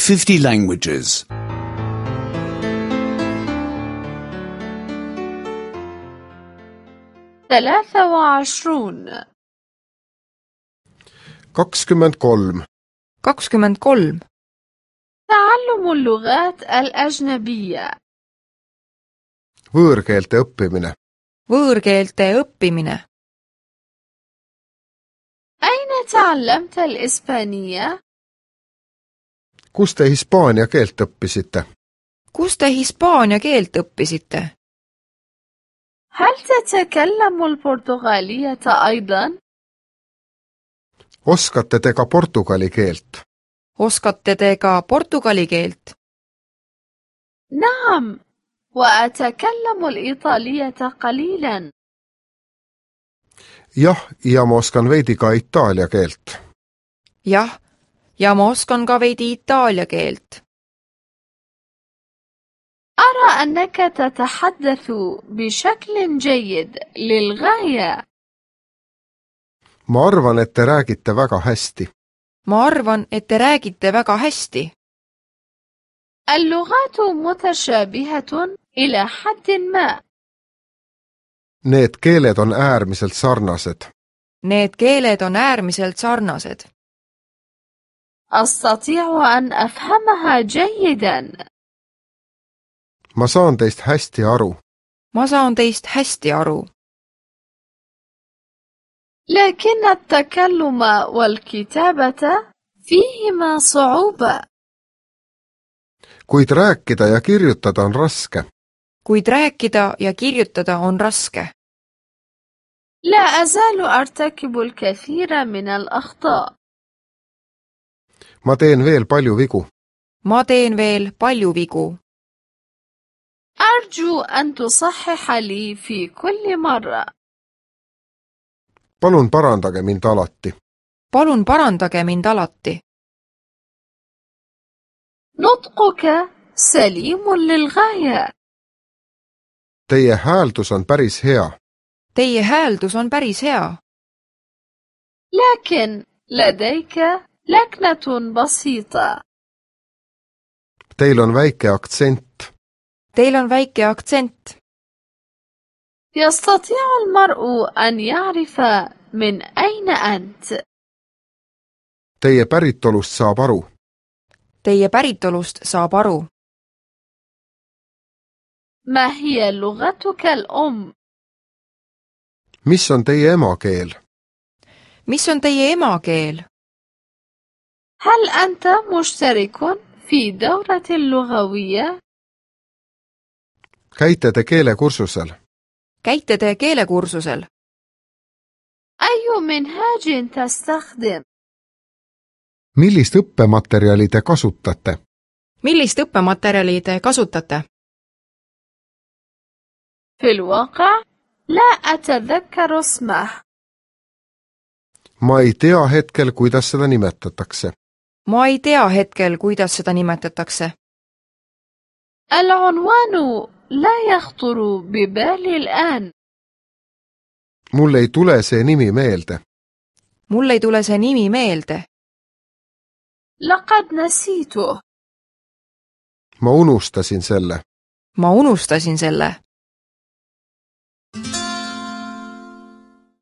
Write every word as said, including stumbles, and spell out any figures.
fifty languages. ثلاثة وعشرون kakskümmend kolm. kakskümmend kolm. تعلم اللغات الأجنبية. Võõrkeelte õppimine. Võõrkeelte õppimine. أين تعلمت الإسبانية؟ Kus te hispaania keelt õppisite? Kus te hispaania keelt õppisite? هل تتكلم البرتغالية أيضا؟ Oskate te ka portugali keelt? Oskate te ka portugali keelt? نعم، وأتكلم الإيطالية قليلا. Jah, ja ma oskan veidi ka itaalia keelt. Jah, ja ma oskan ka veidi itaalia keelt. أرى أنك تتحدث بشكل جيد للغاية. Ma arvan, et te räägite väga hästi. Ma arvan, et te räägite väga hästi. اللغات متشابهة إلى حد ما. Need keeled on äärmiselt sarnased. Need keeled on äärmiselt sarnased. أستطيع أن أفهمها جيدا. Ma saan teist hästi aru. Ma saan teist hästi aru. لكن التكلم والكتابة فيهما صعوبة. Kuid rääkida ja kirjutada on raske. Kuid rääkida ja kirjutada on raske. لا أزال أرتكب الكثير من الأخطاء. Ma teen veel palju vigu. Ma teen veel palju vigu. أرجو أن تصحح لي في كل مرة. Palun parandage mind alati. Palun parandage mind alati. نطقك سليم للغاية. Teie hääldus on päris hea. Teie hääldus on päris hea. لكن لديك لكنة بسيطة. Teil on väike aktsent. Teil on väike aktsent. يستطيع المرء أن يعرف من أين أنت. Teie päritolust saab aru. Teie päritolust saab aru. ما هي لغتك الأم؟ Mis on teie emakeel? Mis on teie emakeel? هل أنت مشترك في دورة اللغوية؟ Käite te keelekursusel? Käite te keelekursusel? أي منهاج تستخدم؟ Millist õppematerjali te kasutate? Millist õppematerjali te kasutate? في الواقع لا أتذكر اسمه. Ma ei tea hetkel, kuidas seda nimetatakse. Ma ei tea hetkel, kuidas seda nimetatakse. العنوان لا يخطر ببالي الآن. Mul ei tule see nimi meelde. Mul ei tule see nimi meelde. لقد نسيته. Ma unustasin selle. Ma unustasin selle.